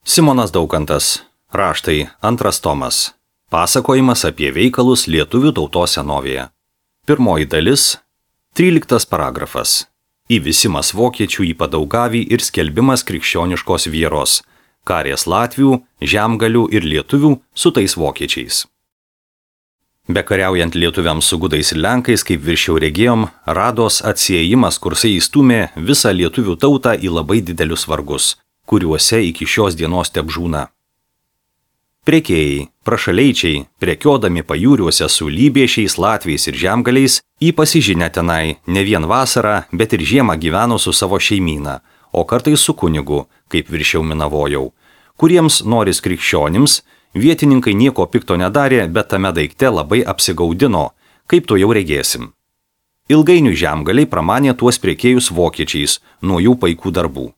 Simonas Daukantas. Raštai. 2 tomas. Pasakojimas apie veikalus lietuvių tautos senovėje. Pirmoji dalis. 13 paragrafas. Įvisimas vokiečių į Padaugavį ir skelbimas krikščioniškos vieros. Karės latvių, žemgalių ir lietuvių su tais vokiečiais. Bekariaujant lietuviams su gudais ir lenkais, kaip viršiau regėjom, Rados atsiejimas kursai įstūmė visą lietuvių tautą į labai didelius vargus, kuriuose iki šios dienos tebžūna. Prekėjai, prašaleičiai, prekiodami pajūriuose su lybiešiais, latviais ir žemgaliais, į pasižinę tenai ne vien vasarą, bet ir žiemą gyveno su savo šeimyna, o kartais su kunigu, kaip viršiau minavojau, kuriems noris krikščionims, vietininkai nieko pikto nedarė, bet tame daikte labai apsigaudino, kaip to jau regėsim. Ilgainiui žemgaliai pramanė tuos prekėjus vokiečiais nuo jų paikų darbų.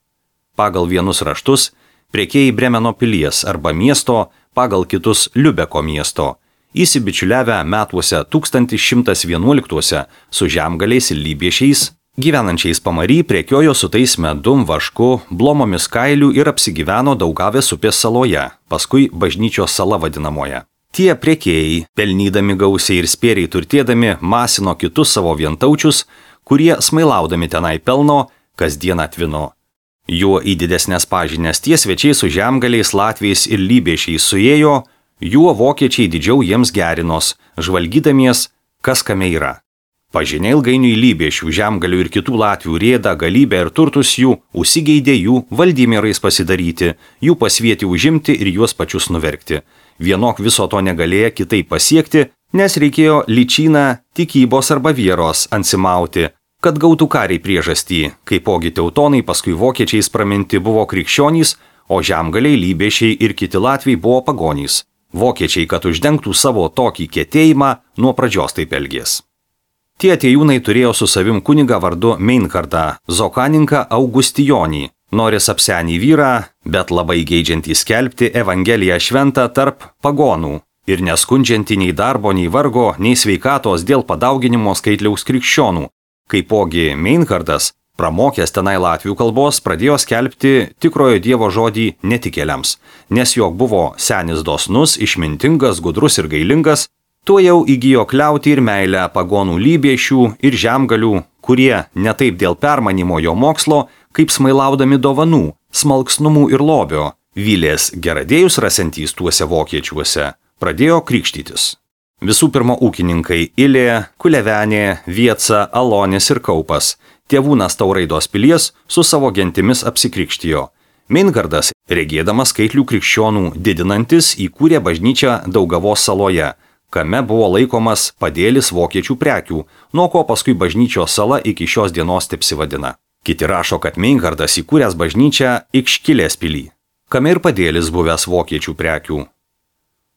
Pagal vienus raštus prekėjai Bremeno pilies arba miesto, pagal kitus Liubeko miesto, įsibičiuliavę metuose 1111 su žemgaliais ir lybiešiais, gyvenančiais pamary prekiojo su tais medum, vašku, blomomis kailių ir apsigyveno Daugavės upės saloje, paskui Bažnyčios sala vadinamoje. Tie prekėjai, pelnydami gausiai ir spėriai turtėdami, masino kitus savo vientaučius, kurie smailaudami tenai pelno, kasdien atvino. Juo į didesnės pažinės tie svečiai su žemgaliais, latviais ir lybiešiais suėjo, juo vokiečiai didžiau jiems gerinos, žvalgydamies, kas kame yra. Pažinė ilgainiui lybiešių, žemgalių ir kitų latvių rėdą, galybę ir turtus jų, užsigeidė jų valdymėrais pasidaryti, jų pasvieti užimti ir juos pačius nuverkti. Vienok viso to negalėjo kitaip pasiekti, nes reikėjo lyčyną, tikybos arba vieros ansimauti, kad gautų kariai priežastį, kaipogi teutonai paskui vokiečiais praminti buvo krikščionys, o žemgaliai, lybiešiai ir kiti latviai buvo pagonys. Vokiečiai, kad uždengtų savo tokį kietėjimą, nuo pradžios taip elgės. Tie atėjūnai turėjo su savim kunigą vardu Meinhardą, zokaninką Augustijonį, noris apsenį vyrą, bet labai geidžiantį skelbti Evangeliją šventą tarp pagonų ir neskundžiantį nei darbo, nei vargo, nei sveikatos dėl padauginimo skaitliaus krikščionų. Kaipogi Meinhardas, pramokęs tenai latvių kalbos, pradėjo skelbti tikrojo Dievo žodį netikėliams, nes jog buvo senis dosnus, išmintingas, gudrus ir gailingas, tuo jau įgijo kliautį ir meilę pagonų lybiešių ir žemgalių, kurie ne taip dėl permanimo jo mokslo, kaip smailaudami dovanų, smalksnumų ir lobio, vylės geradėjus rasantys tuose vokiečiuose, pradėjo krikštytis. Visų pirma ūkininkai Ilė, Kulevenė, Vieca, Alonis ir Kaupas, tėvūnas Tauraidos pilies su savo gentimis apsikrikštijo. Meinhardas, regėdamas skaitlių krikščionų didinantis, įkūrė bažnyčią Daugavos saloje, kame buvo laikomas padėlis vokiečių prekių, nuo ko paskui Bažnyčios sala iki šios dienos tepsivadina. Kiti rašo, kad Meinhardas įkūręs bažnyčią Ikškilės pilį, kame ir padėlis buvęs vokiečių prekių.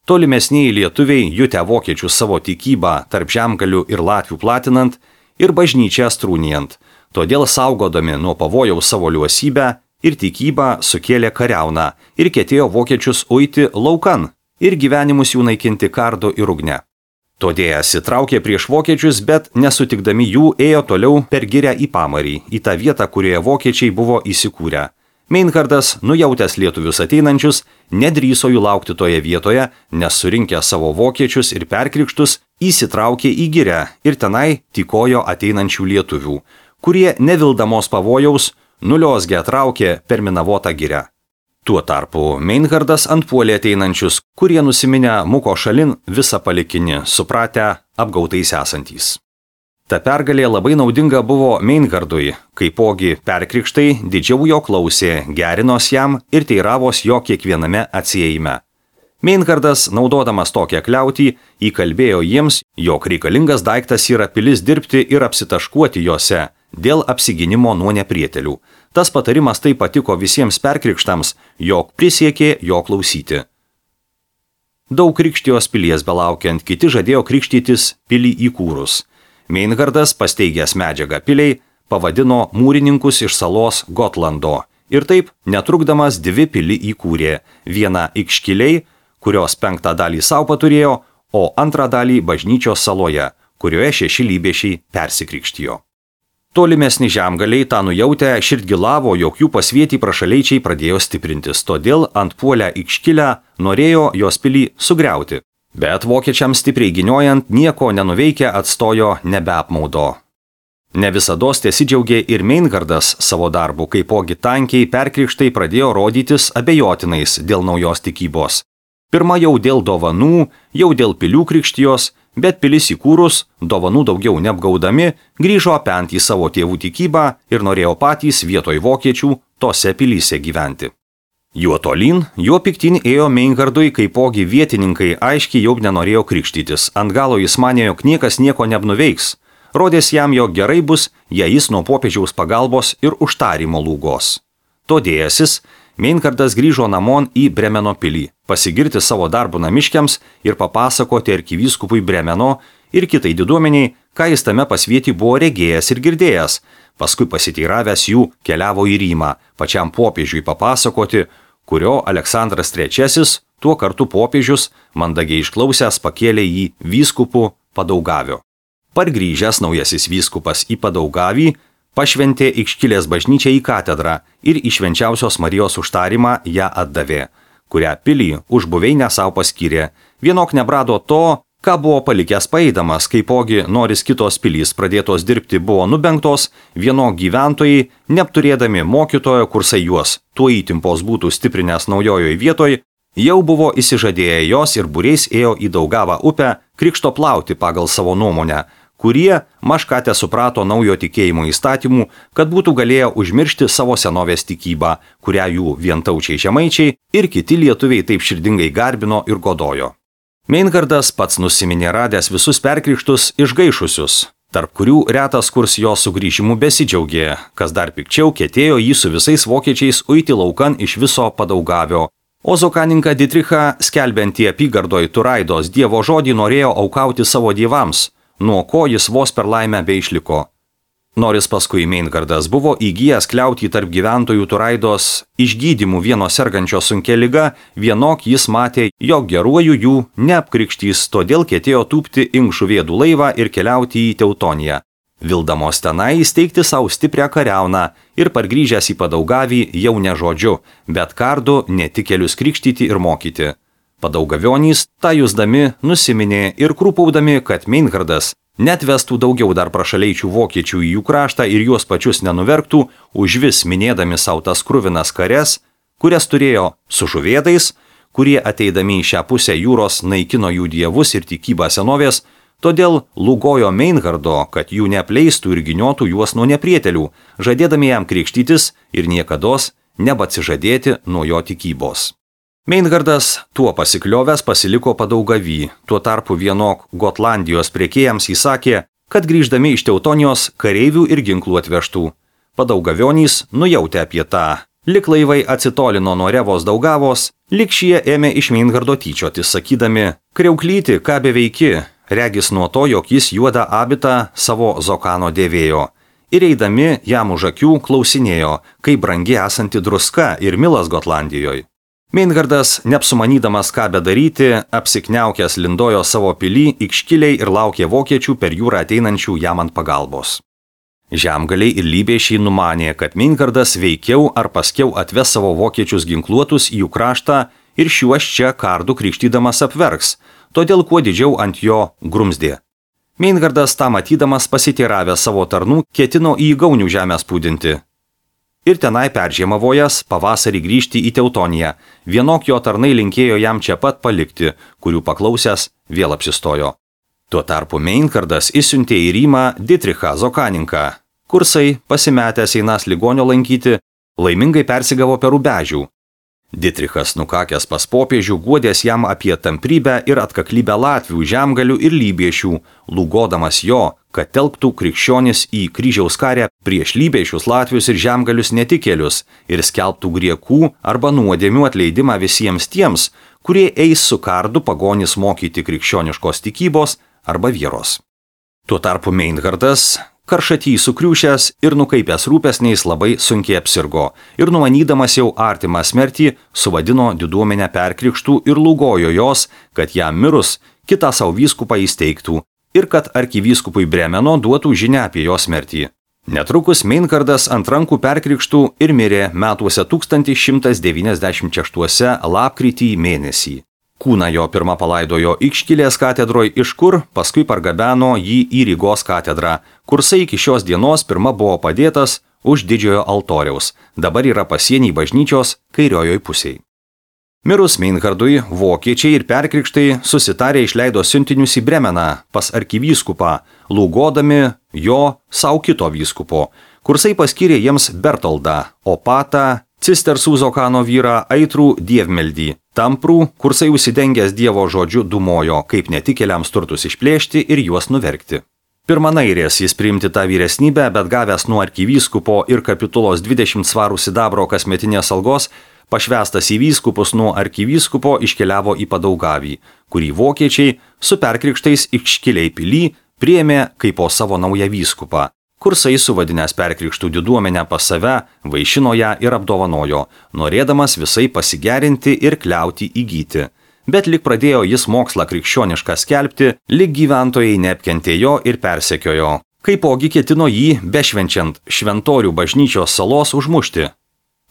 Tolimesniai lietuviai jutę vokiečių savo tikybą tarp žemgalių ir latvių platinant ir bažnyčią strūnijant, todėl saugodami nuo pavojaus savo liuosybę ir tikybą sukėlė kariauną ir ketėjo vokiečius uiti laukan ir gyvenimus jų naikinti kardu ir ugne. Todėl įsitraukė prieš vokiečius, bet nesutikdami jų ėjo toliau per girią į pamarį, į tą vietą, kurioje vokiečiai buvo įsikūrę. Meinhardas, nujautęs lietuvius ateinančius, nedrįso jų laukti toje vietoje, nes surinkę savo vokiečius ir perkrikštus, įsitraukė į girę ir tenai tykojo ateinančių lietuvių, kurie nevildamos pavojaus nuliosgę traukė per minavotą girę. Tuo tarpu Meinhardas antpuolė ateinančius, kurie nusiminę muko šalin visą palikinį, supratę apgautais esantys. Ta pergalė labai naudinga buvo Meinhardui, kaipogi perkrikštai didžiau jo klausė, gerinos jam ir teiravos jo kiekviename atsiejime. Meinhardas, naudodamas tokią kliautį, įkalbėjo jiems, jog reikalingas daiktas yra pilis dirbti ir apsitaškuoti jose dėl apsigynimo nuo neprietelių. Tas patarimas taip patiko visiems perkrikštams, jog prisiekė jo klausyti. Daug krikštijos pilies belaukiant, kiti žadėjo krikštytis pilį įkūrus. Meinhardas, pasteigęs medžiagą piliai, pavadino mūrininkus iš salos Gotlando ir taip, netrukdamas 2 pilį įkūrė, vieną Ikškiliai, kurios 5 dalį sau paturėjo, o 2 dalį Bažnyčios saloje, kurioje 6 lybiešiai persikrikštijo. Tolimesni žemgaliai tą nujautę širdgilavo, jog jų pasvietį prašaleičiai pradėjo stiprintis, todėl antpuolę Ikškilę norėjo jos pilį sugriauti. Bet vokiečiams stipriai giniojant nieko nenuveikę atstojo nebeapmaudo. Ne visados tesidžiaugė ir Meinhardas savo darbu, kaipogi tankiai perkrikštai pradėjo rodytis abejotinais dėl naujos tikybos. Pirma jau dėl dovanų, jau dėl pilių krikštijos, bet pilis įkūrus, dovanų daugiau neapgaudami, grįžo apent į savo tėvų tikybą ir norėjo patys vietoj vokiečių tose pilyse gyventi. Juo tolyn, juo piktin ėjo Meinhardui, kaipogi vietininkai aiškiai jau nenorėjo krikštytis. Ant galo jis manė, jog niekas nieko nebnuveiks. Rodės jam, jog gerai bus, jei jis nuo popiežiaus pagalbos ir užtarimo lūgos. Todėjasis, Meinhardas grįžo namon į Bremeno pilį, pasigirti savo darbų namiškiams ir papasakoti arkivyskupui Bremeno ir kitai diduomeniai, ką jis tame pasvietį buvo regėjęs ir girdėjęs. Paskui pasiteiravęs jų keliavo į Rymą, pačiam popiežiui papasakoti, kurio Aleksandras III, tuo kartu popiežius, mandagiai išklausęs pakėlė jį vyskupų Padaugavio. Pargrįžęs naujasis vyskupas į Padaugavį, pašventė Ikškilės bažnyčią į katedrą ir į Švenčiausios Marijos užtarimą ją atdavė, kurią pilį už buveinę savo paskyrė. Vienok nebrado to, ką buvo palikęs paeidamas, kaipogi noris kitos pilys pradėtos dirbti buvo nubengtos, vienok gyventojai, neapturėdami mokytojo, kursai juos tuo įtimpos būtų stiprinęs naujojoj vietoj, jau buvo įsižadėję jos ir būriais ėjo į Daugavą upę krikšto plauti pagal savo nuomonę, kurie mažkate suprato naujo tikėjimo įstatymų, kad būtų galėję užmiršti savo senovės tikybą, kurią jų vientaučiai žemaičiai ir kiti lietuviai taip širdingai garbino ir godojo. Meinhardas pats nusiminė radęs visus perkrikštus išgaišusius, tarp kurių retas kurs jo sugrįžimų besidžiaugė, kas dar pikčiau ketėjo jį su visais vokiečiais uiti laukan iš viso Padaugavio. O zokaninką Ditrichą, skelbiantį apygardoj Turaidos dievo žodį, norėjo aukauti savo dievams, nuo ko jis vos per laimę beišliko. Noris paskui Meinhardas buvo įgijęs kliautį tarp gyventojų Turaidos išgydymų vieno sergančio sunkia liga, vienok jis matė, jog geruoju jų neapkrikštys, todėl ketėjo tūpti Inkšuvėdų laivą ir keliauti į Teutoniją. Vildamos tenai įsteigti savo stiprią kariauną ir pargrįžęs į Padaugavį jau ne žodžiu, bet kardu netikėlius krikštyti ir mokyti. Padaugavionys, tą jusdami, nusiminė ir krūpaudami, kad Meinhardas net vestų daugiau dar prašaleičių vokiečių į jų kraštą ir juos pačius nenuverktų, užvis minėdami savo tas kruvinas kares, kurias turėjo su žuvėdais, kurie ateidami į šią pusę jūros naikino jų dievus ir tikybą senovės, todėl lūgojo Meinhardo, kad jų neapleistų ir giniotų juos nuo neprietelių, žadėdami jam krikštytis ir niekados nebatsižadėti nuo jo tikybos. Meinhardas tuo pasikliovęs pasiliko Padaugavy, tuo tarpu vienok Gotlandijos prekėjams įsakė, kad grįždami iš Teutonijos kareivių ir ginklų atvežtų. Padaugavionys nujautė apie tą. Lik laivai atsitolino nuo Revos Daugavos, lik šie ėmė iš Meinhardo tyčiotis, sakydami, kriauklyti, ką beveiki, regis nuo to, jog jis juodą abitą savo zokano dėvėjo. Ir eidami jam už akių klausinėjo, kaip brangi esanti druska ir milas Gotlandijoje. Meinhardas, neapsumanydamas ką bedaryti, apsikniaukęs lindojo savo pilį Ikškiliai ir laukė vokiečių per jūrą ateinančių jam ant pagalbos. Žemgaliai ir lybėšiai numanė, kad Meinhardas veikiau ar paskiau atves savo vokiečius ginkluotus į jų kraštą ir šiuos čia kardų krikštydamas apverks, todėl kuo didžiau ant jo grumsdė. Meinhardas tą matydamas pasiteiravęs savo tarnų ketino į Gaunių žemę spūdinti. Ir tenai peržiemavojas pavasarį grįžti į Teutoniją, vienok jo tarnai linkėjo jam čia pat palikti, kurių paklausęs vėl apsistojo. Tuo tarpu Meinhardas išsiuntė į Rymą Ditrichą zokaninką. Kursai, pasimetęs einas ligonio lankyti, laimingai persigavo per Rubežių. Ditrichas, nukakęs pas popiežių, guodės jam apie tamprybę ir atkaklybę latvių, žemgalių ir lybiešių, lūgodamas jo, kad telktų krikščionis į kryžiaus karę prieš lybiešius, latvius ir žemgalius netikėlius ir skelbtų griekų arba nuodėmių atleidimą visiems tiems, kurie eis su kardu pagonis mokyti krikščioniškos tikybos arba vieros. Tuo tarpu Meinhardas, karšatį sukriušęs ir nukaipęs rūpesniais, labai sunkiai apsirgo ir numanydamas jau artimą smertį, suvadino diduomenę perkrikštų ir lūgojo jos, kad jam mirus kitą savo vyskupą įsteigtų ir kad arkivyskupui Bremeno duotų žinią apie jo smertį. Netrukus Meinhardas ant rankų perkrikštų ir mirė metuose 1196 lapkritį mėnesį. Kūną jo pirmą palaidojo Ikškilės katedroje, iš kur paskui pargabeno jį į Rygos katedrą, kursai iki šios dienos pirma buvo padėtas už didžiojo altoriaus, dabar yra pasienį bažnyčios kairiojoj pusėje. Mirus Meinhardui, vokiečiai ir perkrikštai susitarė išleido siuntinius į Bremeną pas arkivyskupą, lūgodami jo savo kito vyskupo. Kursai paskyrė jiems Bertoldą, Opatą, Cistersų Zokano vyrą, aitrų dievmeldį. Tamprų, kursai užsidengęs Dievo žodžiu dumojo, kaip netikėliams turtus išplėšti ir juos nuverkti. Pirmanairės jis priimti tą vyresnybę, bet gavęs nuo arkivyskupo ir kapitulos 20 svarų sidabro kasmetinės algos, pašvestas į vyskupus nuo arkivyskupo iškeliavo į Padaugavį, kurį vokiečiai su perkrikštais Ikškilėj pily priėmė kaip po savo naują vyskupą. Kursai suvadinęs perkrikštų diduomenę pas save, vaišino ją ir apdovanojo, norėdamas visai pasigerinti ir kliauti įgyti. Bet lik pradėjo jis mokslą krikščionišką skelbti, lik gyventojai neapkentėjo ir persekiojo. Kaipogi ketino jį, bešvenčiant šventorių bažnyčios salos, užmušti.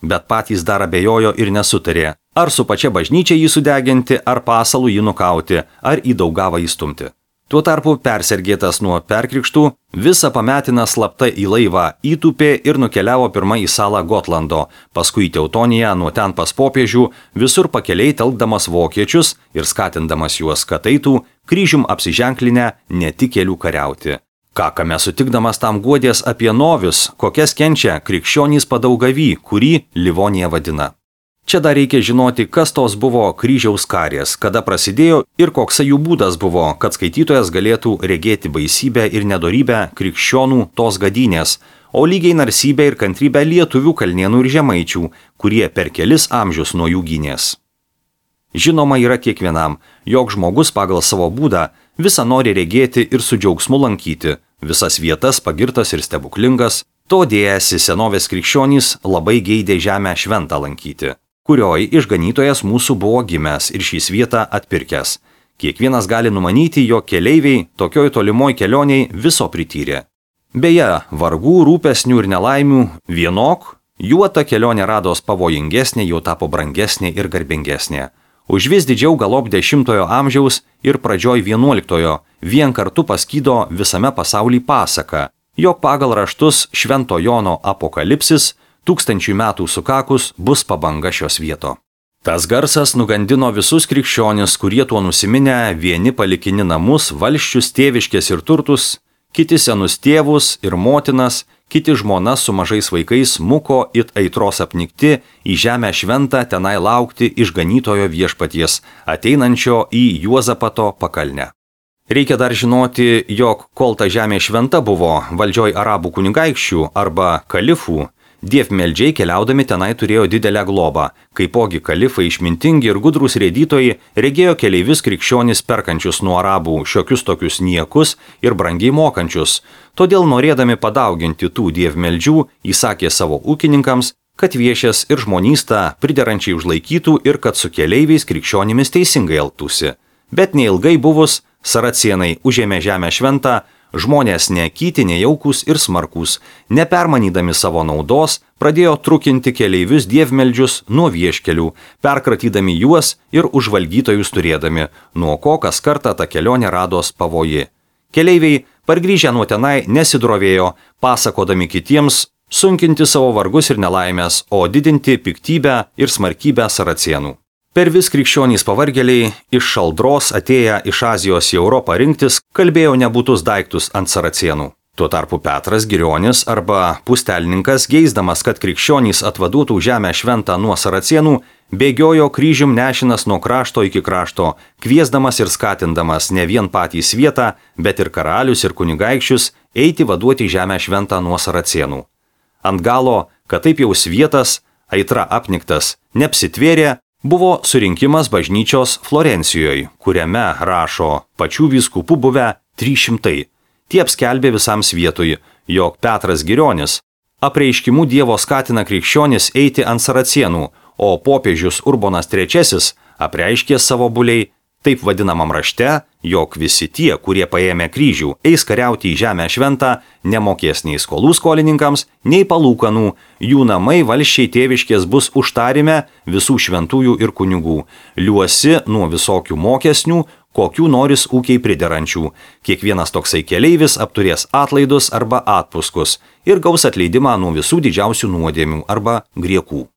Bet patys dar abejojo ir nesutarė, ar su pačia bažnyčia jį sudeginti, ar pasalų jį nukauti, ar į Daugavą įstumti. Tuo tarpu persergėtas nuo perkrikštų, visą pametiną slapta į laivą įtūpė ir nukeliavo pirmą į salą Gotlando, paskui Teutoniją, nuo ten pas popiežių, visur pakeliai telkdamas vokiečius ir skatindamas juos, kad eitų kryžium apsiženklinę netikėlių kariauti. Kakame sutikdamas tam guodės apie novius, kokias kenčia krikščionys Padaugavy, kurį Livonija vadina. Čia dar reikia žinoti, kas tos buvo kryžiaus karės, kada prasidėjo ir koks jų būdas buvo, kad skaitytojas galėtų regėti baisybę ir nedorybę krikščionų tos gadynės, o lygiai narsybę ir kantrybę lietuvių, kalnėnų ir žemaičių, kurie per kelis amžius nuo jų gynės. Žinoma yra kiekvienam, jog žmogus pagal savo būdą visą nori regėti ir su džiaugsmu lankyti, visas vietas pagirtas ir stebuklingas, to dėjasi senovės krikščionys labai geidė žemę šventą lankyti, kurioj išganytojas mūsų buvo gimęs ir šį vietą atpirkęs. Kiekvienas gali numanyti, jog keleiviai tokioj tolimoj kelioniai viso prityrė. Beje, vargų, rūpesnių ir nelaimių vienok, juo ta kelionė rados pavojingesnė, jau tapo brangesnė ir garbingesnė. Už vis didžiau galop 10 amžiaus ir pradžioj 11 vien kartu paskydo visame pasaulyje pasaka, jog pagal raštus Švento Jono apokalipsis 1000 metų sukakus bus pabanga šios vieto. Tas garsas nugandino visus krikščionis, kurie tuo nusiminę vieni palikini namus, valsčius, tėviškės ir turtus, kiti senus tėvus ir motinas, kiti žmonas su mažais vaikais muko it aitros apnikti į žemę šventą tenai laukti išganytojo viešpaties, ateinančio į Juozapato pakalnę. Reikia dar žinoti, jog kol ta žemė šventa buvo valdžioj arabų kunigaikščių arba kalifų, dievmeldžiai keliaudami tenai turėjo didelę globą, kaipogi kalifai išmintingi ir gudrūs rėdytojai regėjo keleivius krikščionis perkančius nuo arabų šiokius tokius niekus ir brangiai mokančius, todėl norėdami padauginti tų dievmeldžių, įsakė savo ūkininkams, kad viešės ir žmonystą priderančiai užlaikytų ir kad su keleiviais krikščionimis teisingai elgtųsi. Bet neilgai buvus, saracienai užėmė žemę šventą, žmonės nekyti, nejaukus ir smarkus, nepermanydami savo naudos, pradėjo trukinti keleivius dievmeldžius nuo vieškelių, perkratydami juos ir užvalgytojus turėdami, nuo ko kas kartą ta kelionė rados pavoji. Keleiviai, pargrįžę nuo tenai, nesidrovėjo, pasakodami kitiems, sunkinti savo vargus ir nelaimės, o didinti piktybę ir smarkybę saracienų. Per vis krikščionys pavargėliai, iš šaldros atėję iš Azijos į Europą rinktis, kalbėjo nebūtus daiktus ant saracienų. Tuo tarpu Petras Girionis arba pustelninkas, geisdamas, kad krikščionys atvaduotų žemę šventą nuo saracienų, bėgiojo kryžium nešinas nuo krašto iki krašto, kviesdamas ir skatindamas ne vien patys vietą, bet ir karalius ir kunigaikščius eiti vaduoti žemę šventą nuo saracienų. Ant galo, kad taip jau svietas, aitra apniktas, neapsitvėrė, buvo surinkimas bažnyčios Florencijoje, kuriame rašo pačių vyskupų buvę 300. Tie apskelbė visam svietui, jog Petras Girionis apreiškimu Dievo skatina krikščionis eiti ant saracienų, o popiežius Urbonas III apreiškė savo buliai, taip vadinamam rašte, jog visi tie, kurie paėmė kryžių, eis kariauti į žemę šventą, nemokės nei skolų skolininkams, nei palūkanų, jų namai valsčiai tėviškės bus užtarime visų šventųjų ir kunigų, liuosi nuo visokių mokesnių, kokių noris ūkiai priderančių. Kiekvienas toksai keleivis apturės atlaidus arba atpuskus ir gaus atleidimą nuo visų didžiausių nuodėmių arba griekų.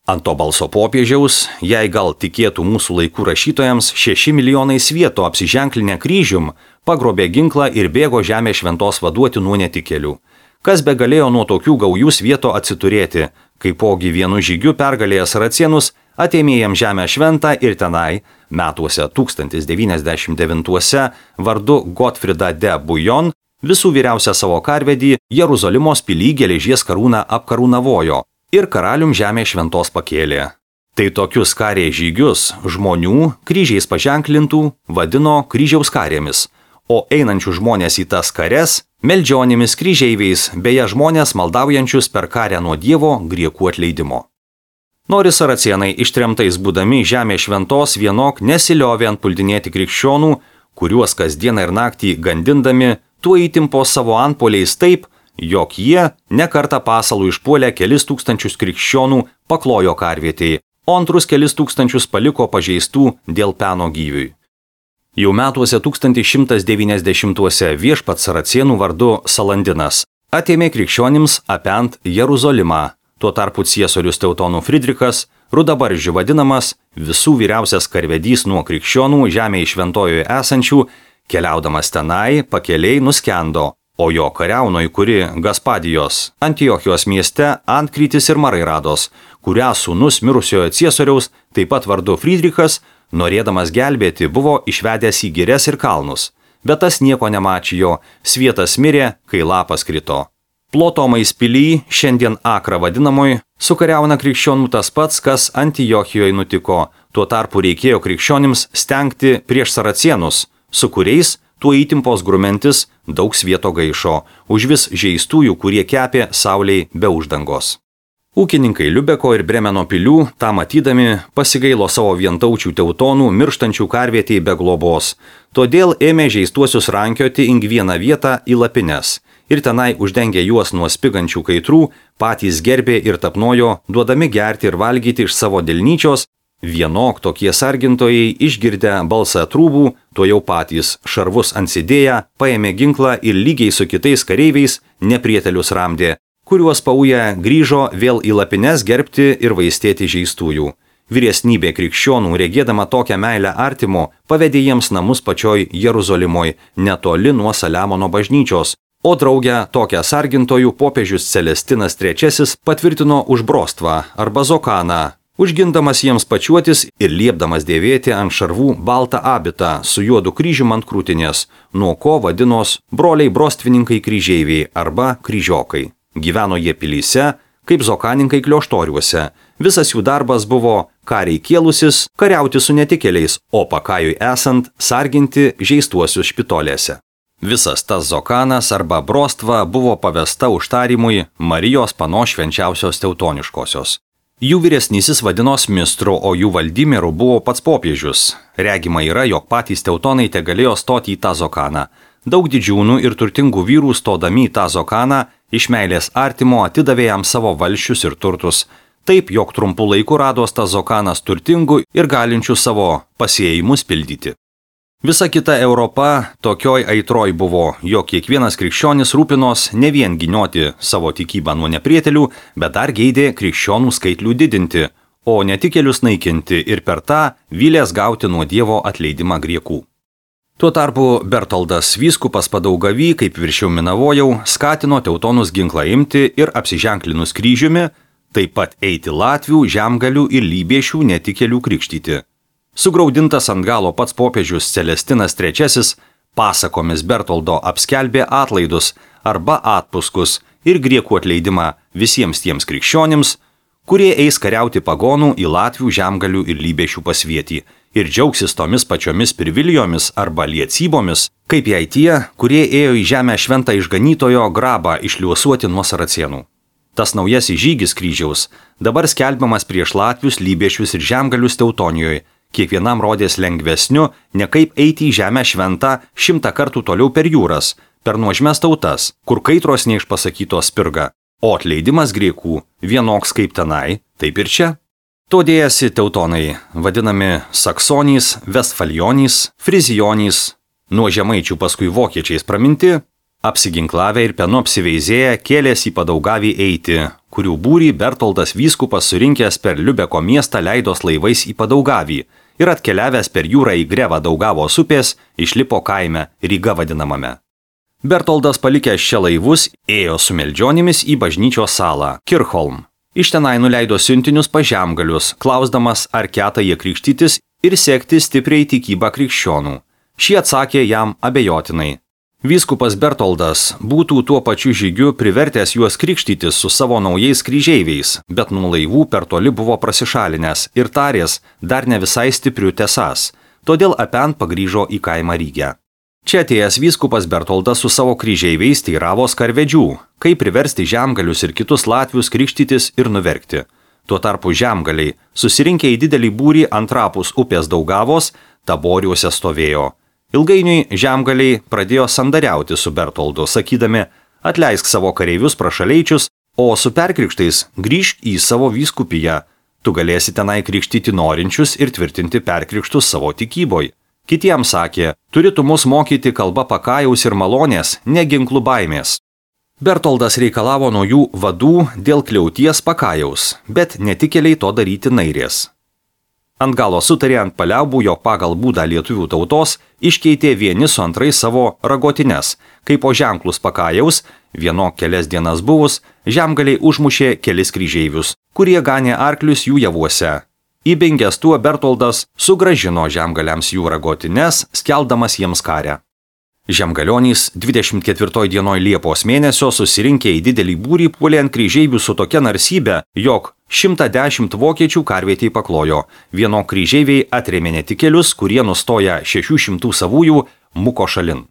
Ant to balso popiežiaus, jei gal tikėtų mūsų laikų rašytojams, 6 milijonai svieto apsiženklinę kryžium, pagrobė ginklą ir bėgo žemė šventos vaduoti nuo netikėlių. Kas be galėjo nuo tokių gaujų svieto atsiturėti, kaipogi vienu žygiu pergalėjęs Saracienus, atėmė jam žemę šventą ir tenai, metuose 1099 vardu Gotfrida de Bouillon, visų vyriausią savo karvedį Jeruzalimos pilyj geležies karūną apkarūnavojo ir karalium žemė šventos pakėlė. Tai tokius karės žygius žmonių, kryžiais paženklintų, vadino kryžiaus karėmis, o einančių žmonės į tas kares meldžionimis kryžeiviais, beje žmonės maldaujančius per karę nuo Dievo griekų atleidimo. Nori Saracienai ištremtais būdami žemė šventos vienok nesiliovė antpuldinėti krikščionų, kuriuos kasdieną ir naktį gandindami, tuo įtimpo savo antpuoliais taip, jog jie nekartą pasalų išpuolę kelis tūkstančius krikščionų paklojo karvietėje, o antrus kelis tūkstančius paliko pažeistų dėl peno gyviui. Jau metuose 1190-uose viešpats Saracienų vardu Salandinas atėmė krikščionims apent Jeruzalimą. Tuo tarpu ciesorius Teutonų Fridrikas, rudabaržių vadinamas, visų vyriausias karvedys nuo krikščionų žemėje šventojoje esančių, keliaudamas tenai pakeliai nuskendo, o jo kariaunoje, kuri Gaspadijos, Antiochijos mieste Antkrytis ir Marairados, kurią sūnus mirusiojo ciesoriaus, taip pat vardu Fridrikas, norėdamas gelbėti, buvo išvedęs į girias ir kalnus, bet tas nieko nemačijo, svietas mirė, kai lapas krito. Plotomais pilyj, šiandien Akra vadinamoj, sukariauna krikščionų tas pats, kas Antiochijoje nutiko, tuo tarpu reikėjo krikščionims stengti prieš Saracienus, su kuriais tuo įtimpos grumentis daug svieto gaišo, užvis žeistųjų, kurie kepė sauliai be uždangos. Ūkininkai Liubeko ir Bremeno pilių, tą matydami, pasigailo savo vientaučių teutonų mirštančių karvietėje be globos, todėl ėmė žeistuosius rankioti į vieną vietą į lapines ir tenai uždengė juos nuo spigančių kaitrų, patys gerbė ir tapnojo, duodami gerti ir valgyti iš savo delnyčios. Vienok tokie sargintojai išgirdę balsą trūbų, to jau patys šarvus ansidėję, paėmė ginklą ir lygiai su kitais kareiviais neprietelius ramdė, kuriuos pauję grįžo vėl į lapines gerbti ir vaistėti žeistųjų. Vyresnybė krikščionų, regėdama tokią meilę artimo, pavedė jiems namus pačioj Jeruzalimoj, netoli nuo Saliamono bažnyčios, o draugę tokią sargintojų popiežius Celestinas III patvirtino už brostvą arba zokaną, užgindamas jiems pačiuotis ir liepdamas dėvėti ant šarvų baltą abitą su juodu kryžium ant krūtinės, nuo ko vadinos broliai brostvininkai kryžeiviai arba kryžiokai. Gyveno jie pilyse, kaip zokaninkai klioštoriuose. Visas jų darbas buvo kariai kėlusis, kariauti su netikėliais, o pakajui esant sarginti žeistuosius špitolėse. Visas tas zokanas arba brostva buvo pavesta užtarimui Marijos panos švenčiausios teutoniškosios. Jų vyresnysis vadinos mistru, o jų valdymėru buvo pats popiežius. Regima yra, jog patys teutonai te galėjo stoti į tą zokaną. Daug didžiūnų ir turtingų vyrų stodami į tą zokaną iš meilės artimo atidavė jam savo valsčius ir turtus. Taip, jog trumpų laikų rados tas zokanas turtingų ir galinčių savo pasėjimus pildyti. Visa kita Europa tokioj aitroj buvo, jog kiekvienas krikščionis rūpinos ne vien ginioti savo tikybą nuo neprietelių, bet dar geidė krikščionų skaitlių didinti, o netikėlius naikinti ir per tą vylės gauti nuo Dievo atleidimą griekų. Tuo tarpu Bertoldas vyskupas Padaugavy, kaip viršiau minavojau, skatino teutonus ginklą imti ir apsiženklinus kryžiumi, taip pat eiti latvių, žemgalių ir lybiešių netikėlių krikštyti. Sugraudintas ant galo pats popiežius Celestinas III pasakomis Bertoldo apskelbė atlaidus arba atpuskus ir griekų atleidimą visiems tiems krikščionims, kurie eis kariauti pagonų į latvių, žemgalių ir lybiešių pasvietį ir džiaugsis tomis pačiomis privilegijomis arba liecybomis, kaip jei tie, kurie ėjo į žemę šventą išganytojo grabą išliuosuoti nuo Saracienų. Tas naujasis žygis kryžiaus dabar skelbiamas prieš latvius, lybiešius ir žemgalius Teutonijoje kiekvienam rodės lengvesniu, ne kaip eiti į žemę šventą 100 kartų toliau per jūras, per nuožmes tautas, kur kaitros neišpasakytos spirga, o atleidimas griekų vienoks kaip tenai, taip ir čia. To dėjasi teutonai, vadinami saksonys, vestfalionys, frizijonys, nuo žemaičių paskui vokiečiais praminti, apsiginklavę ir penu apsiveizėję kėlėsi į Padaugavį eiti, kurių būrį Bertoldas vyskupas surinkęs per Liubeko miestą leidos laivais į Padaugavį ir atkeliavęs per jūrą į Grevą Daugavos upės išlipo kaime Ryga vadinamame. Bertoldas palikęs čia laivus ėjo su meldžionimis į bažnyčios salą Kirchholm. Iš tenai nuleido siuntinius pas žemgalius, klausdamas, ar keta jie krikštytis ir sekti stipriai tikybą krikščionų. Šie atsakė jam abejotinai. Vyskupas Bertoldas būtų tuo pačiu žygiu privertęs juos krikštytis su savo naujais kryžeiviais, bet nuo laivų per toli buvo prasišalinęs ir tarės dar ne visai stipriu tesas, todėl apent pagrįžo į kaimą Rygę. Čia atėjęs vyskupas Bertoldas su savo kryžeiviais teiravos karvedžių, kaip priversti žemgalius ir kitus latvius krikštytis ir nuverkti. Tuo tarpu žemgaliai, susirinkę į didelį būrį antrapus upės Daugavos, Taboriuose stovėjo. Ilgainiui žemgaliai pradėjo sandariauti su Bertoldu, sakydami, atleisk savo kareivius prašaleičius, o su perkrikštais grįžk į savo vyskupiją. Tu galėsi tenai krikštyti norinčius ir tvirtinti perkrikštus savo tikyboj. Kitiems sakė, turi tu mus mokyti kalba pakajaus ir malonės, ne ginklų baimės. Bertoldas reikalavo nuo jų vadų dėl kliauties pakajaus, bet netikėliai to daryti nairės. Ant galo sutarė ant paliaubų, jog pagal būdą lietuvių tautos iškeitė vieni su antrais savo ragotines, kai po ženklus pakajaus, vieno kelias dienas buvus, žemgaliai užmušė kelis kryžeivius, kurie ganė arklius jų javuose. Įbengęs tuo Bertoldas sugražino žemgaliams jų ragotines, skeldamas jiems karę. Žemgalionys 24 dienoj Liepos mėnesio susirinkę į didelį būrį puolė ant kryžeivių su tokia narsybė, jog 110 vokiečių karvietei paklojo. Vieno kryžeiviai atrėmė netikėlius, kurie nustoja 600 savųjų muko šalin.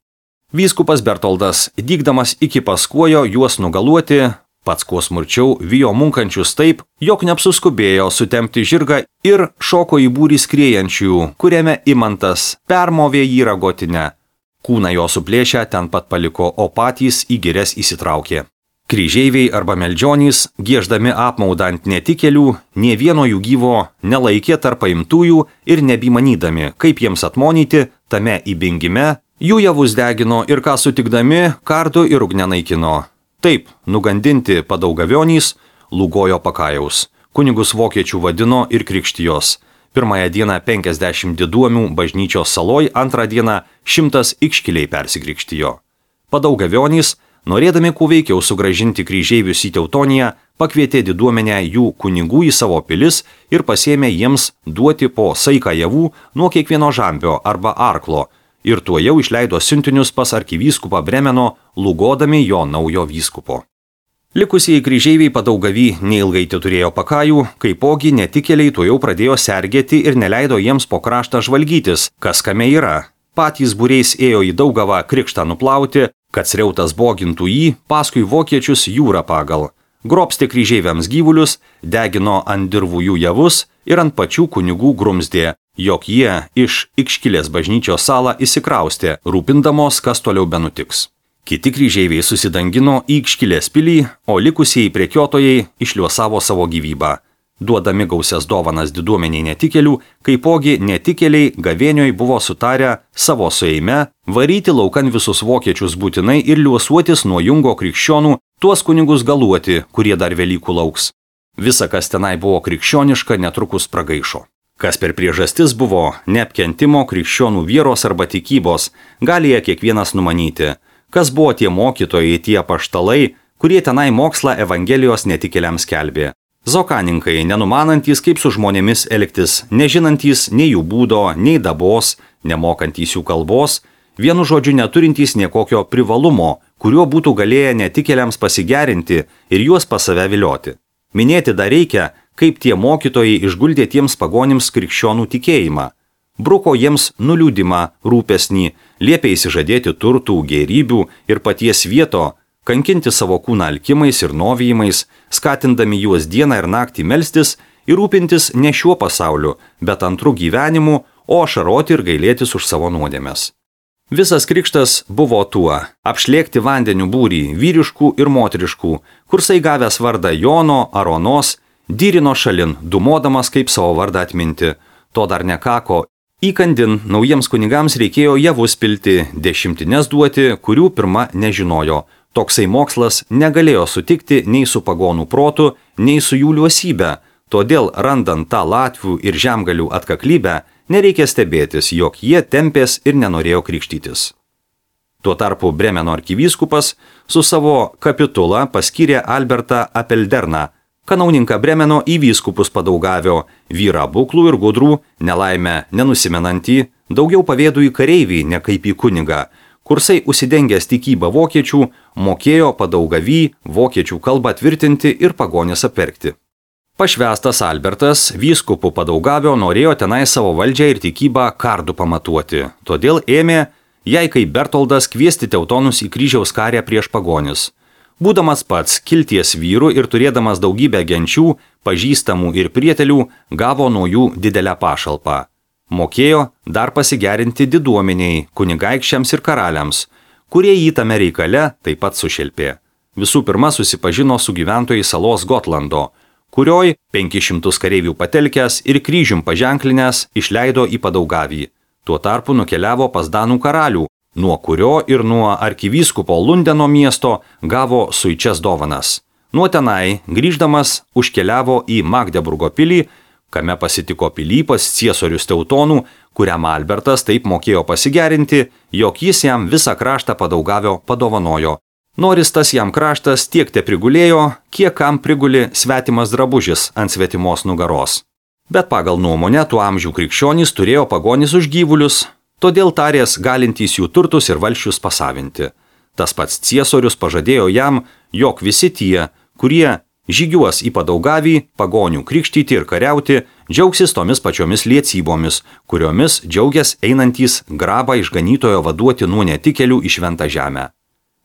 Vyskupas Bertoldas, dygdamas iki paskuojo juos nugaluoti, pats kuo smurčiau vijo munkančius taip, jog neapsuskubėjo sutempti žirgą ir šoko į būrį skriejančių, kuriame Imantas permovė jį ragotinę. Kūną jo suplėšę ten pat paliko, o patys į girias įsitraukė. Kryžeiviai arba meldžionys, gieždami apmaudą ant netikėlių, nė vieno jų gyvo nelaikė tarp paimtųjų ir nebimanydami, kaip jiems atmonyti tame įbingime, jų javus degino ir ką sutikdami, kardu ir ugne naikino. Taip, nugandinti Padaugavionys, lūgojo pakajaus. Kunigus vokiečių vadino ir krikštijos. Pirmąją dieną 50 diduomių bažnyčios saloj, antrą dieną 100 ikškiliai persikrikštijo. Padaugavionys, norėdami kuo veikiau sugrąžinti kryžeivius į Teutoniją, pakvietė diduomenę jų kunigų į savo pilis ir pasėmė jiems duoti po saiką javų nuo kiekvieno žambio arba arklo, ir tuo jau išleido siuntinius pas arkivyskupą Bremeno, lūgodami jo naujo vyskupo. Likusieji kryžeiviai Padaugavy neilgai turėjo pakajų, kaipogi netikėliai tuo jau pradėjo sergėti ir neleido jiems po kraštą žvalgytis, kas kame yra. Patys būriais ėjo į Daugavą krikštą nuplauti, kad sreutas bogintų jį, paskui vokiečius jūrą pagal. Grobstė kryžeiviams gyvulius, degino ant dirvų jų javus ir ant pačių kunigų grumzdė, jog jie iš Ikškilės bažnyčios salą įsikraustė, rūpindamos, kas toliau benutiks. Kiti kryžeiviai susidangino į Ikškilės pilį, o likusieji prekiotojai išliuosavo savo gyvybą. Duodami gausias dovanas diduomeniai netikėlių, kaipogi netikėliai gavėnioj buvo sutarę savo sueime varyti laukan visus vokiečius būtinai ir liuosuotis nuo jungo krikščionų, tuos kunigus galuoti, kurie dar Velykų lauks. Visa, kas tenai buvo krikščioniška, netrukus pragaišo. Kas per priežastis buvo neapkentimo krikščionų vieros arba tikybos, gali jie kiekvienas numanyti. Kas buvo tie mokytojai, tie apaštalai, kurie tenai mokslą Evangelijos netikėliams skelbė. Zokaninkai, nenumanantys, kaip su žmonėmis elgtis, nežinantys nei jų būdo, nei dabos, nemokantys jų kalbos, vienu žodžiu neturintys niekokio privalumo, kuriuo būtų galėję netikėliams pasigerinti ir juos pas save vilioti. Minėti dar reikia, kaip tie mokytojai išguldė tiems pagonims krikščionų tikėjimą. Bruko jiems nuliūdimą, rūpesnį, liepė įsižadėti turtų, gėrybių ir paties vieto, kankinti savo kūną alkimais ir novijimais, skatindami juos dieną ir naktį melstis ir rūpintis ne šiuo pasauliu, bet antru gyvenimu, o ašaroti ir gailėtis už savo nuodėmes. Visas krikštas buvo tuo – apšlėkti vandeniu būrį vyriškų ir moteriškų, kursai gavęs vardą Jono ar Onos, dyrino šalin, dumodamas kaip savo vardą atminti. To dar nekako. Įkandin naujiems kunigams reikėjo javus pilti, dešimtines duoti, kurių pirma nežinojo. Toksai mokslas negalėjo sutikti nei su pagonų protu, nei su jų liuosybė. Todėl, randant tą latvių ir žemgalių atkaklybę, nereikia stebėtis, jog jie tempės ir nenorėjo krikštytis. Tuo tarpu Bremeno arkivyskupas su savo kapitula paskyrė Albertą Apelderną, kanauninką Bremeno į vyskupus padaugavio, vyrą buklų ir gudrų, nelaimę nenusimenantį, daugiau pavėdų į kareivį, ne kaip į kunigą. Kursai užsidengęs tikybą vokiečių, mokėjo padaugavį vokiečių kalbą tvirtinti ir pagonis apverkti. Pašvestas Albertas vyskupų padaugavio norėjo tenai savo valdžią ir tikybą kardu pamatuoti, todėl ėmė, jei kaip Bertoldas, kviesti teutonus į kryžiaus karę prieš pagonis. Būdamas pats kilties vyru ir turėdamas daugybę genčių, pažįstamų ir prietelių, gavo nuo jų didelę pašalpą. Mokėjo dar pasigerinti diduomeniai, kunigaikščiams ir karaliams, kurie jį tame reikale taip pat sušelpė. Visų pirma susipažino su gyventojais salos Gotlando, kurioj 500 kareivių patelkęs ir kryžium paženklinęs išleido į padaugavį. Tuo tarpu nukeliavo pas Danų karalių, nuo kurio ir nuo arkivyskupo Lundeno miesto gavo suičias dovanas. Nuo tenai, grįždamas, užkeliavo į Magdeburgo pilį, kame pasitiko pilypas ciesorius teutonų, kuriam Albertas taip mokėjo pasigerinti, jog jis jam visą kraštą padaugavio padovanojo. Noris tas jam kraštas tiek te prigulėjo, kiek kam priguli svetimas drabužis ant svetimos nugaros. Bet pagal nuomonę tų amžių krikščionys turėjo pagonis už gyvulius, todėl tarės galintys jų turtus ir valsčius pasavinti. Tas pats ciesorius pažadėjo jam, jog visi tie, kurie žygiuos į padaugavį, pagonių krikštyti ir kariauti, džiaugsis tomis pačiomis liecybomis, kuriomis džiaugias einantys grabą išganytojo vaduoti nuo netikėlių į šventą žemę.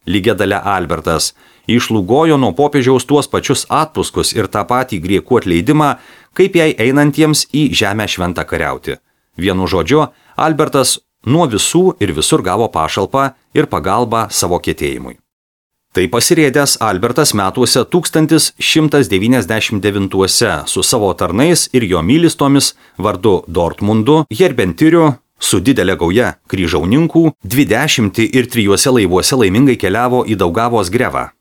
Lygiadale Albertas išlūgojo nuo popiežiaus tuos pačius atpuskus ir tą patį griekų atleidimą, kaip jai einantiems į žemę šventą kariauti. Vienu žodžiu, Albertas nuo visų ir visur gavo pašalpą ir pagalbą savo kietėjimui. Tai pasirėdęs Albertas metuose 1199 su savo tarnais ir jo mylistomis vardu Dortmundu, Herbentiriu, su didelė gauja kryžauninkų, 20 ir 3 laivuose laimingai keliavo į Daugavos grevą.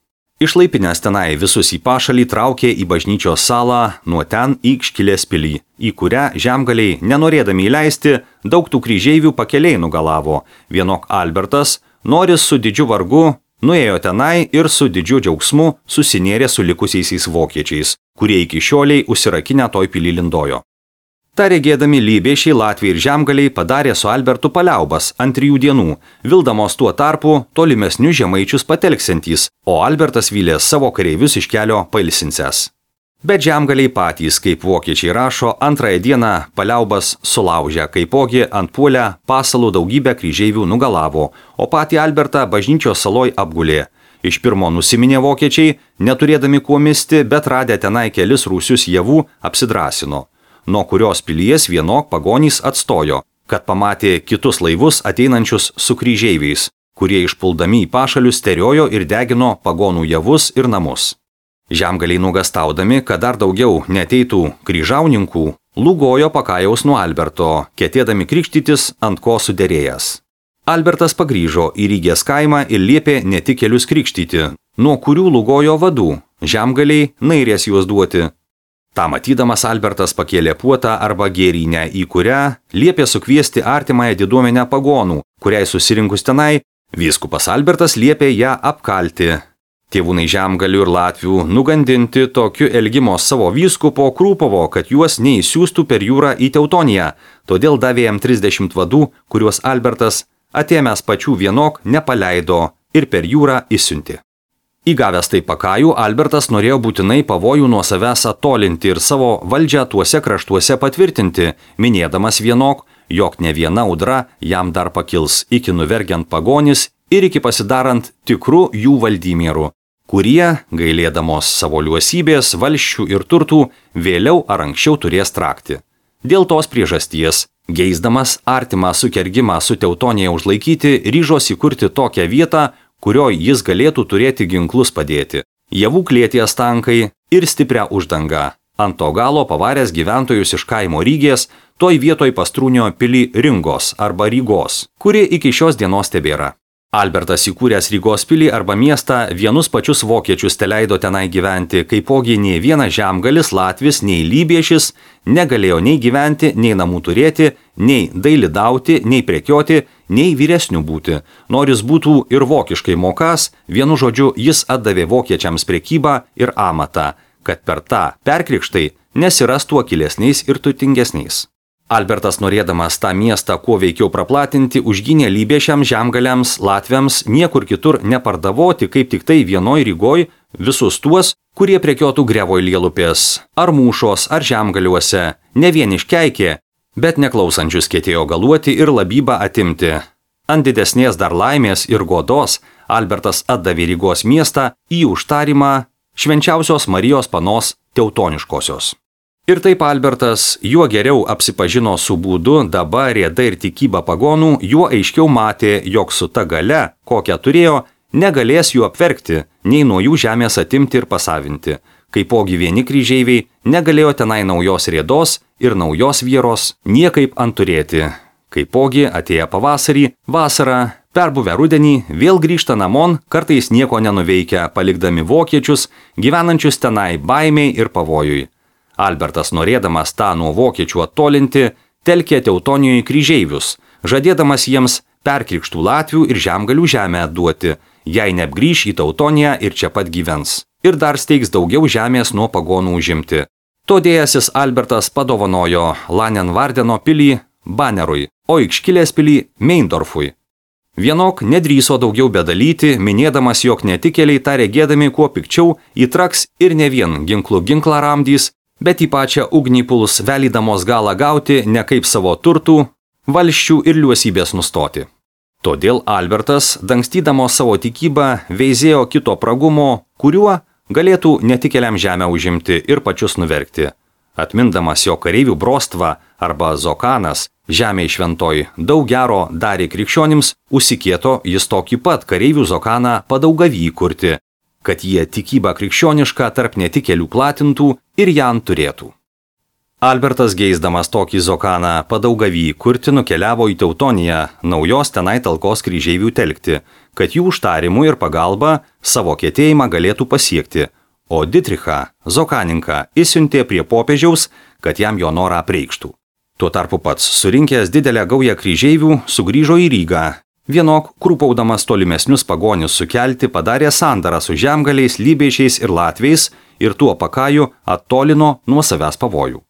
Išlaipinęs tenai visus į pašalį traukė į bažnyčios salą, nuo ten į Iškilės pilį, į kurią žemgaliai, nenorėdami įleisti, daug tų kryžeivių pakeliai nugalavo. Vienok Albertas, noris su didžiu vargu, nuėjo tenai ir su didžiu džiaugsmu susinėrė su likusiaisiais vokiečiais, kurie iki šioliai užsirakinę toj pilį lindojo. Ta regėdami lybėšiai latviai ir žemgaliai padarė su Albertu paliaubas ant 3 dienų, vildamos tuo tarpu tolimesnius žemaičius patelksiantys, o Albertas vylė savo kareivius iš kelio pailsinsęs. Bet žemgaliai patys, kaip vokiečiai rašo, 2 dieną paliaubas sulaužė, kaipogi antpuolę pasalų daugybę kryžeivių nugalavo, o patį Albertą bažnyčios saloj apgulė. Iš pirmo nusiminė vokiečiai, neturėdami kuo misti, bet radę tenai kelis rūsius javų, apsidrasino. Nuo kurios pilies vienok pagonys atstojo, kad pamatė kitus laivus ateinančius su kryžeiviais, kurie išpuldami į pašalius teriojo ir degino pagonų javus ir namus. Žemgaliai nugastaudami, kad dar daugiau neteitų kryžauninkų, lūgojo pakajaus nuo Alberto, ketėdami krikštytis ant ko suderėjęs. Albertas pagrįžo į Rygės kaimą ir liepė netikėlius krikštyti, nuo kurių lūgojo vadų, žemgaliai nairės juos duoti. Ta matydamas Albertas pakėlė puotą arba gėrynę, į kurią liepė sukviesti artimąją diduomenę pagonų, kuriai susirinkus tenai, vyskupas Albertas liepė ją apkalti. Tėvūnai žemgalių ir latvių nugandinti tokiu elgimo savo vyskupo Krūpovo, kad juos neįsiųstų per jūrą į Teutoniją, todėl davė jam 30 vadų, kuriuos Albertas, atėmęs pačių vienok, nepaleido ir per jūrą išsiuntė. Įgavęs tai pakajų, Albertas norėjo būtinai pavojų nuo savęs attolinti ir savo valdžią tuose kraštuose patvirtinti, minėdamas vienok, jog ne viena audra jam dar pakils iki nuvergiant pagonis ir iki pasidarant tikrų jų valdymierų, kurie, gailėdamos savo liuosybės, valsčių ir turtų, vėliau ar anksčiau turės trakti. Dėl tos priežasties, geisdamas artimą sukergimą su Teutonija užlaikyti, ryžosi kurti tokią vietą, kurioje jis galėtų turėti ginklus padėti. Javų klėties tankai ir stiprią uždangą. Ant to galo pavaręs gyventojus iš kaimo Rygės, toj vietoj pastrūnio pilį Ringos arba Rygos, kuri iki šios dienos tebėra. Albertas įkūręs Rygos pilį arba miestą vienus pačius vokiečius teleido tenai gyventi, kaipogi nei vienas žemgalis latvis, nei lybiešis negalėjo nei gyventi, nei namų turėti, nei dailidauti, nei prekioti, nei vyresnių būti. Noris būtų ir vokiškai mokas, vienu žodžiu jis atdavė vokiečiams prekybą ir amatą, kad per tą perkrikštai nesirastų akilesniais ir turtingesniais. Albertas, norėdamas tą miestą kuo veikiau praplatinti, užgynė lybiešiams, žemgaliams, latviams, niekur kitur nepardavoti, kaip tik tai vienoj Rygoj, visus tuos, kurie prekiotų Grevoj Lielupės, ar Mūšos, ar Žemgaliuose, ne vien iškeikė, bet neklausančius ketėjo galuoti ir labybą atimti. Ant didesnės dar laimės ir godos Albertas atdavė Rygos miestą į užtarimą Švenčiausios Marijos Panos Teutoniškosios. Ir taip Albertas, juo geriau apsipažino su būdu, daba, rėda ir tikyba pagonų, juo aiškiau matė, jog su ta galia, kokią turėjo, negalės jų apverkti, nei nuo jų žemės atimti ir pasavinti. Kaipogi vieni kryžeiviai negalėjo tenai naujos rėdos ir naujos vieros niekaip anturėti. Kaipogi atėję pavasarį, vasarą, perbuvę rudenį, vėl grįžta namon, kartais nieko nenuveikia, palikdami vokiečius, gyvenančius tenai baimiai ir pavojui. Albertas, norėdamas tą nuo vokiečių attolinti, telkė Teutonijoje kryžeivius, žadėdamas jiems perkrikštų latvių ir žemgalių žemę duoti, jei neapgrįš į Teutoniją ir čia pat gyvens. Ir dar steigs daugiau žemės nuo pagonų užimti. Todėjasis Albertas padovanojo Lanenvardeno pilį Banerui, o Ikškilės pilį Meindorfui. Vienok nedrįso daugiau bedalyti, minėdamas, jog netikėliai tą regėdami kuo pikčiau įtraks ir ne vien ginklą ramdys, bet į pačią ugnį puls velydamos galą gauti ne kaip savo turtų, valsčių ir liuosybės nustoti. Todėl Albertas, dangstydamos savo tikybą, veizėjo kito pragumo, kuriuo galėtų netikėliam žemę užimti ir pačius nuverkti. Atmindamas jo kareivių brostvą arba Zokanas, žemė šventoj, daug gero darė krikščionims, užsikieto jis tokį pat kareivių Zokaną Padaugavy kurti, kad jie tikybą krikščionišką tarp netikėlių platintų ir ją turėtų. Albertas, geisdamas tokį Zokaną Padaugavy kurti, nukeliavo į Teutoniją, naujos tenai talkos kryžeivių telkti, kad jų užtarimų ir pagalba savo kietėjimą galėtų pasiekti, o Ditrichą, Zokaninką, išsiuntė prie popiežiaus, kad jam jo norą apreikštų. Tuo tarpu pats, surinkęs didelę gaują kryžeivių, sugrįžo į Rygą. Vienok, krūpaudamas tolimesnius pagonius sukelti, padarė sandarą su žemgaliais, lybiešiais ir latviais ir tuo pakaju attolino nuo savęs pavojų.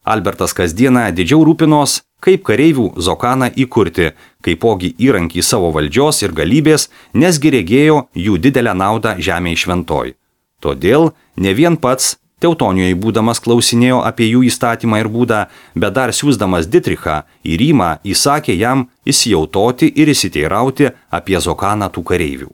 Albertas kasdieną didžiau rūpinos, kaip kareivių Zokaną įkurti, kaipogi įrankį savo valdžios ir galybės, nesgi regėjo jų didelę naudą žemėje šventoj. Todėl ne vien pats Teutonijoje būdamas klausinėjo apie jų įstatymą ir būdą, bet dar siųsdamas Ditrichą į Rymą įsakė jam įsijautoti ir įsiteirauti apie Zokaną tų kareivių.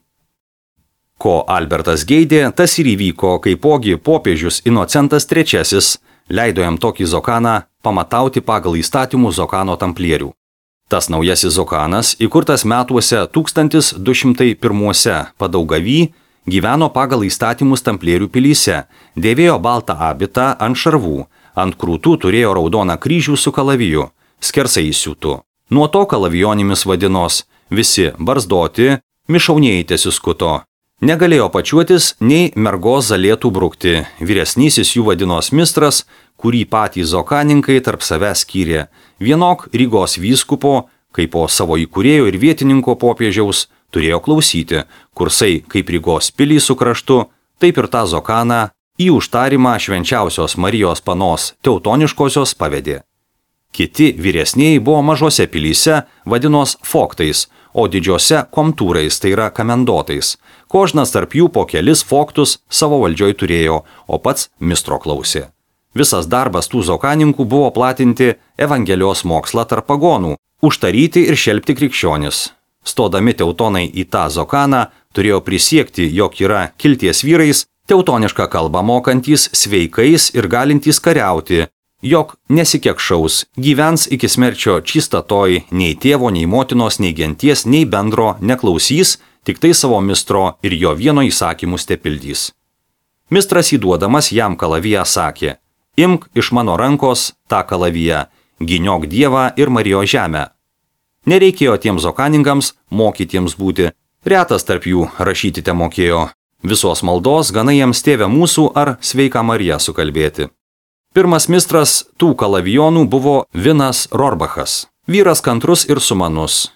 Ko Albertas geidė, tas ir įvyko, kaipogi popiežius Inocentas III leido jam tokį Zokaną pamatauti pagal įstatymų Zokano tamplierių. Tas naujasis Zokanas, įkurtas metuose 1201 Padaugavy, gyveno pagal įstatymus tamplierių pilyse, dėvėjo baltą abitą ant šarvų, ant krūtų turėjo raudoną kryžių su kalaviju, skersai įsiūtų. Nuo to kalavijonimis vadinos, visi barzdoti, mišaunieji tesiskuto. Negalėjo pačiuotis, nei mergos zalėtų brukti, vyresnysis jų vadinos mistras, kurį patys zokaninkai tarp savęs skyrė, vienok Rygos vyskupo, kaip po savo įkūrėjo ir vietininko popiežiaus, turėjo klausyti, kursai kaip Rygos pilį su kraštu, taip ir tą Zokaną į užtarimą Švenčiausios Marijos Panos Teutoniškosios pavedė. Kiti vyresnieji buvo mažose pilyse, vadinos foktais, o didžiose komtūrais, tai yra kamendotais. Kožnas tarp jų po kelis foktus savo valdžioj turėjo, o pats mistro klausė. Visas darbas tų zokaninkų buvo platinti Evangelijos mokslą tarp pagonų, užtaryti ir šelpti krikščionis. Stodami teutonai į tą Zokaną turėjo prisiekti, jog yra kilties vyrais, teutonišką kalbą mokantys, sveikais ir galintys kariauti, jog nesikekšaus, gyvens iki smerčio čistatoj, nei tėvo, nei motinos, nei genties, nei bendro neklausys, tik tai savo mistro ir jo vieno įsakymus tepildys. Mistras įduodamas jam kalaviją sakė: imk iš mano rankos tą kalaviją, gyniok Dievą ir Marijos žemę. Nereikėjo tiems zokaningams mokytiems būti, retas tarp jų rašyti te mokėjo. Visos maldos gana jiems Tėve mūsų ar Sveika Marija sukalbėti. Pirmas mistras tų kalavijonų buvo Vinas Rorbachas, vyras kantrus ir sumanus.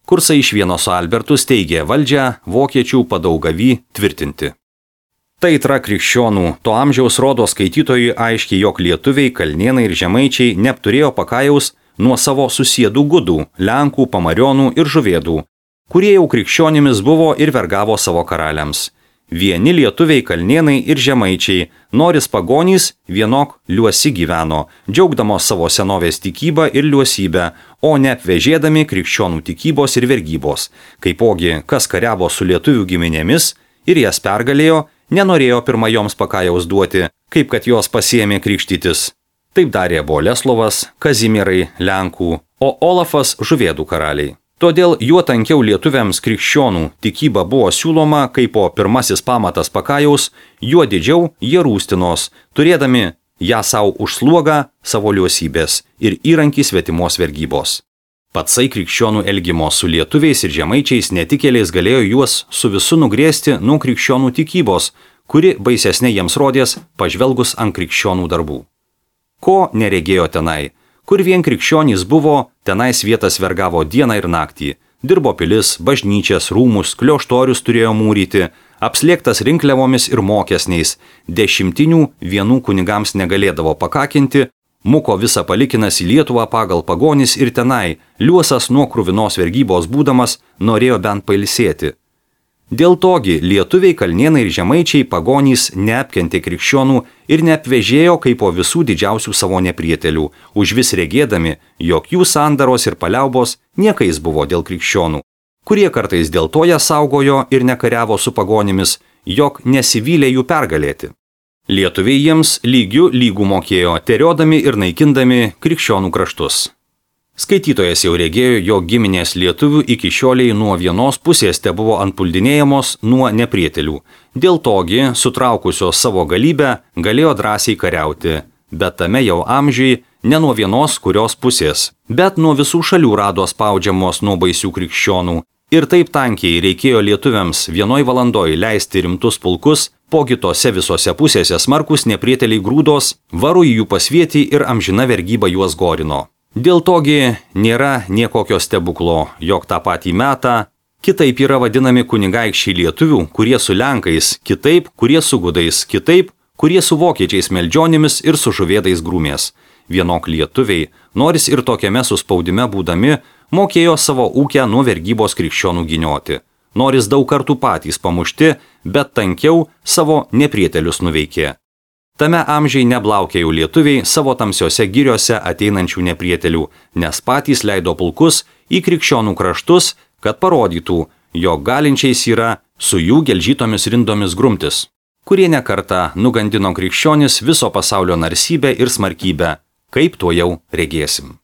Kursai iš vieno su Albertu steigė valdžią vokiečių padaugavį tvirtinti. Tai tra krikščionų to amžiaus rodo skaitytojui aiškiai, jog lietuviai, kalnėnai ir žemaičiai neapturėjo pakajaus nuo savo susėdų gudų, lenkų, pamarionų ir žuvėdų, kurie jau krikščionimis buvo ir vergavo savo karaliams. Vieni lietuviai, kalnėnai ir žemaičiai, noris pagonys, vienok liuosi gyveno, džiaugdamos savo senovės tikybą ir liuosybę, o ne apvežėdami krikščionų tikybos ir vergybos. Kaipogi, kas kariavo su lietuvių giminėmis ir jas pergalėjo, nenorėjo pirma joms pakajaus duoti, kaip kad jos pasiėmė krikštytis. Taip darė Boleslovas, Kazimierai Lenkų, o Olafas žuvėdų karaliai. Todėl juo tankiau lietuviams krikščionų tikyba buvo siūloma kaip po pirmasis pamatas pakajaus, juo didžiau jie rūstinos, turėdami ją savo užslogą savo liuosybės ir įrankį svetimos vergybos. Patsai krikščionų elgimo su lietuviais ir žemaičiais netikėliais galėjo juos su visu nugrėsti nuo krikščionų tikybos, kuri baisesnė jiems rodės pažvelgus ant krikščionų darbų. Ko neregėjo tenai? Kur vien krikščionys buvo, tenais vietas vergavo dieną ir naktį. Dirbo pilis, bažnyčias, rūmus, klioštorius turėjo mūryti, apslėgtas rinkliavomis ir mokesniais, 10 vienų kunigams negalėdavo pakakinti, muko visą palikinas į Lietuvą pagal pagonis ir tenai, liuosas nuo kruvinos vergybos būdamas, norėjo bent pailsėti. Dėl togi lietuviai, kalnėnai ir žemaičiai pagonys neapkentė krikščionų ir neapvežėjo kaip po visų didžiausių savo neprietelių, užvis regėdami, jog jų sandaros ir paliaubos niekais buvo dėl krikščionų, kurie kartais dėl to ją saugojo ir nekariavo su pagonimis, jog nesivylė jų pergalėti. Lietuviai jiems lygių lygų mokėjo, teriodami ir naikindami krikščionų kraštus. Skaitytojas jau regėjo, jog giminės lietuvių iki šioliai nuo vienos pusės te buvo antpuldinėjamos nuo neprietelių. Dėl togi, sutraukusios savo galybę, galėjo drąsiai kariauti, bet tame jau amžiui ne nuo vienos kurios pusės, bet nuo visų šalių rado spaudžiamos nuo baisių krikščionų. Ir taip tankiai reikėjo lietuviams vienoj valandoj leisti rimtus pulkus, po kitose visose pusėse smarkus neprieteliai grūdos, varu į jų pasvietį ir amžina vergyba juos gorino. Dėl togi nėra niekokio stebuklo, jog tą patį metą kitaip yra vadinami kunigaikščiai lietuvių, kurie su lenkais, kitaip, kurie su gudais, kitaip, kurie su vokiečiais meldžionimis ir su žuvėdais grūmės. Vienok lietuviai, noris ir tokiame suspaudime būdami, mokėjo savo ūkę nuo vergybos krikščionų ginioti. Noris daug kartų patys pamušti, bet tankiau savo neprietelius nuveikė. Tame amžiai neblaukė jau lietuviai savo tamsiose giriose ateinančių neprietelių, nes patys leido pulkus į krikščionų kraštus, kad parodytų, jog galinčiais yra su jų gelžytomis rindomis grumtis, kurie nekartą nugandino krikščionis viso pasaulio narsybę ir smarkybę, kaip tuo jau regėsim.